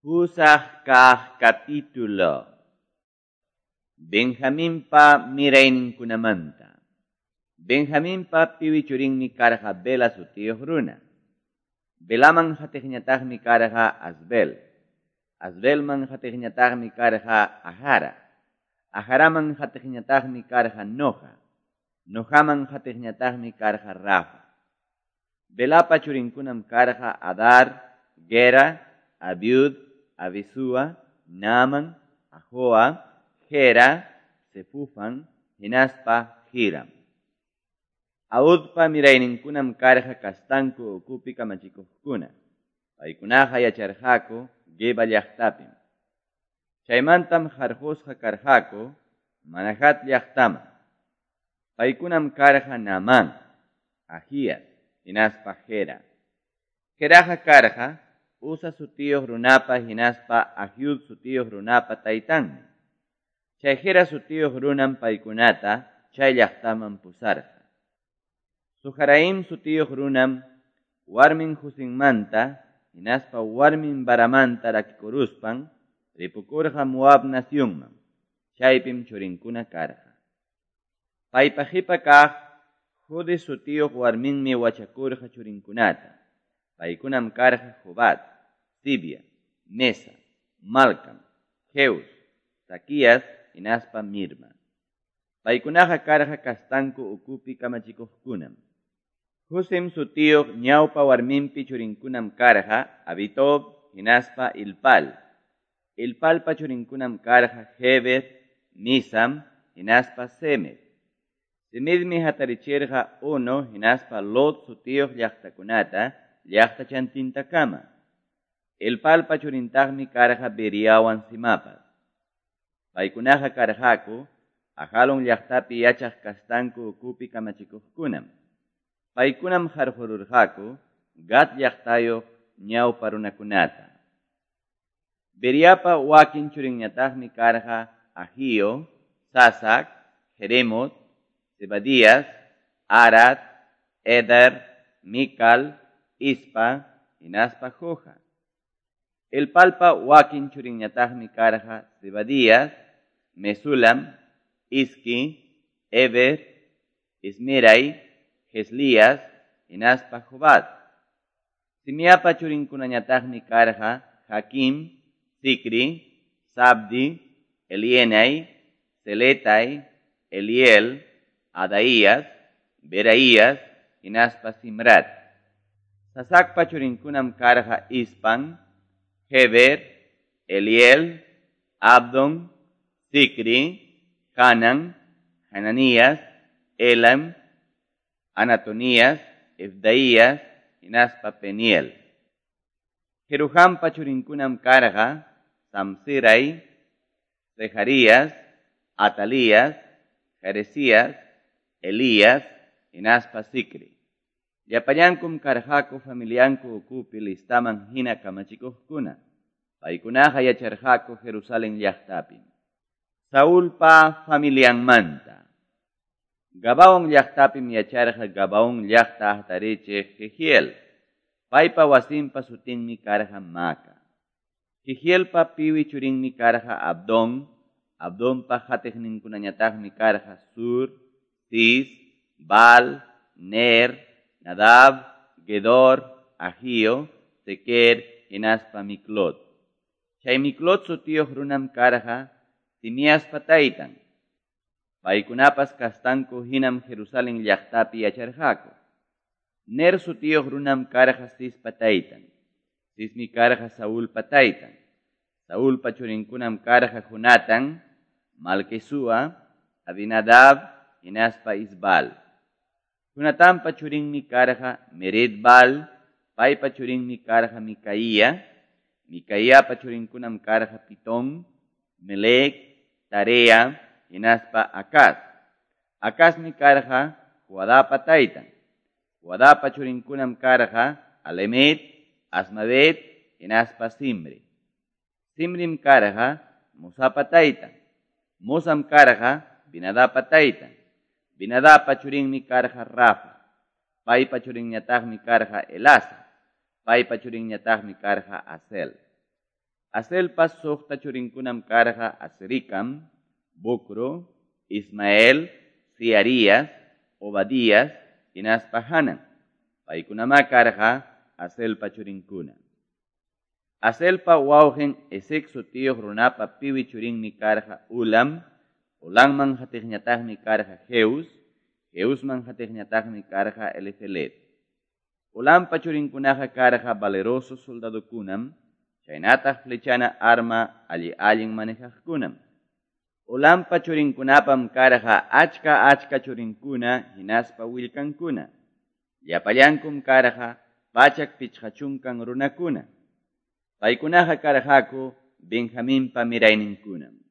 Pusaq kaq capítulo. Benjaminpa mirayninkunamanta. Benjaminpa piwi churinmi karqa Bela sutiyuq runa. Belaman hatiqñataqmi karqa Asbel. Asbelman hatiqñataqmi karqa Ajara. Ajaraman hatiqñataqmi karqa Noja. Nojaman hatiqñataqmi karqa Rafa. Belapa churinkunam karqa Adar, Gera, Abiud, Abisúa, Naaman, Ahoa, Gera, Sefufan, hinaspa Hiram. Audpa mirayninkunam karqa kastanku ukupi kamachikuqkuna. Paykunaqa yacharqaku Geba llaqtapim. Chaymantam harqusqa karqaku Manahat llaqtaman. Paykunam karqa Naamán, Ajías, hinaspa Gera. Geraqa karqa Uza sutiyuq runapa hinaspa Ahiud sutiyuq runapa taytanmi. Chay Gera sutiyuq runam paykunata chay llaqtaman pusarqa. Sujaraim sutiyuq runam warmin Husinmanta hinaspa warmin Baramanta rakikuruspan ripukurqa Moab nacionman. Chaypim churinkuna karqa. Paypa qipa kaq Jude sutiyuq warminmi wachakurqa churinkunata. Paykunam karqa Jobat, Sibia, Mesa, Malcam, Jeus, Saquías hinaspa Mirma. Paykunaqa karqa kastanku ukupi kamachikuqkunam. Husim sutiyuq ñawpa warminpi churinkunam karqa Abitob hinaspa Ilpal. Ilpalpa churinkunam karqa Heber, Misam hinaspa Semed. Semedmi hatarichirqa Ono hinaspa Lot sutiyuq llaqtakunata llaqtachantintakama. Elpalpa churintaqmi karqa Beriawan Simapas. Paykunaqa karqaku Ajalon llaqtapi yachaq kastanku ukupi kamachikuqkunam. Paykunam harqururqaku Gat llaqtayuq ñawpa runakunata. Beriapa wakin churinñataqmi karqa Ahio, Sasac, Jeremot, Zebadías, Arad, Eder, Mical, Ispa, hinaspa Joja. Elpalpa wakin churinñataqmi karqa Zebadías, Mesulam, Iski, Eber, Ismirai, Jeslías, hinaspa Jobad. Simiapa churinkunañataqmi karqa Hakim, Zicri, Sabdi, Elienai, Seletai, Eliel, Adaías, Beraías, hinaspa Simrat. Sasacpa churinkunam karqa Ispan, Heber, Eliel, Abdon, Zicri, Hanan, Hananías, Elam, Anatonías, Efdaías, hinaspa Peniel. Jeruhampa churinkunam karqa Samsirai, Zeharías, Atalías, Jeresías, Elías, hinaspa Zicri. Llapallankum karqaku familianku ukupi listaman hina kamachikuqkuna. Paykunaqa yacharqaku Jerusalén llaqtapim. Saulpa familianmanta. Gabaón llaqtapim yacharqa Gabaón llaqta hatarichiq Jehiel. Paypa wasinpa sutinmi karqa Maca. Jehielpa piwi churinmi karqa Abdón. Abdonpa hatiqninkunañataqmi karqa Sur, Cis, Baal, Ner, Nadab, Gedor, Ahio, Sequer, hinaspa Miklot. Chay Miklot sutiyuq runam karqa Simiaspa taytan. Paykunapas kastanku hinam Jerusalén llaqtapi yacharqaku. Ner sutiyuq runam karqa Cispa taytan. Cismi karqa Saulpa taytan. Saulpa churinkunam karqa Jonatán, Malquisúa, Abinadab, hinaspa Isbal. Jonatanpa churinmi karqa Meredbal, paypa churinmi karqa Micaía, Micaíapa churinkunam karqa Pitón, Melec, Tarea, hinaspa Acaz. Acazmi karqa Joadapa taytan. Joadapa churinkunam karqa Alemet, Asmavet, hinaspa Simri. Simrim karqa Mosapa taytan. Mosam karqa Binadapa taytan. Binadapa churinmi karqa Rafa. Paypa churinñataqmi karqa Elasa. Paypa churinñataqmi karqa Asel. Azelpa soqta churinkunam karqa Azricam, Bocru, Ismael, Searias, Obadias hinaspa Hanan. Paykunamá karqa Azelpa churinkuna. Azelpa wawqen Esec sutiyoq runapa piwi churinmi karqa Ulam, Ulamman qatiqñataqmi karqa Jeus, Jeusman qatiqñataqmi karqa Elifelet. Ulampa churinkunaqa karqa valeroso soldadokunam chaynataq flechana arma alli-allin manejaqkunam. Ulampa churinkunapam karqa achka-achka churinkuna hinaspa willkankuna. Llapallankum karqa 150 runakuna. Paykunaqa karqaku Benjaminpa mirayninkunam.